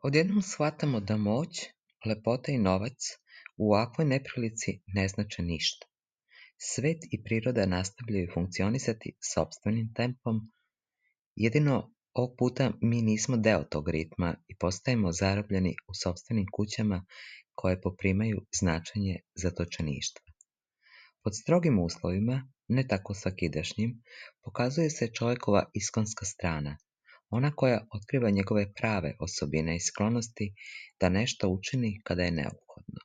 Odjednom shvatamo da moć, lepota i novac u ovakvoj neprilici ne znače ništa. Svet i priroda nastavljaju funkcionisati sopstvenim tempom, jedino ovog puta mi nismo deo tog ritma i postajemo zarobljeni u sopstvenim kućama koje poprimaju značenje zatočeništva. Pod strogim uslovima, ne tako svakidašnjim, pokazuje se čovjekova iskonska strana, ona koja otkriva njegove prave osobine i sklonosti da nešto učini kada je neophodno.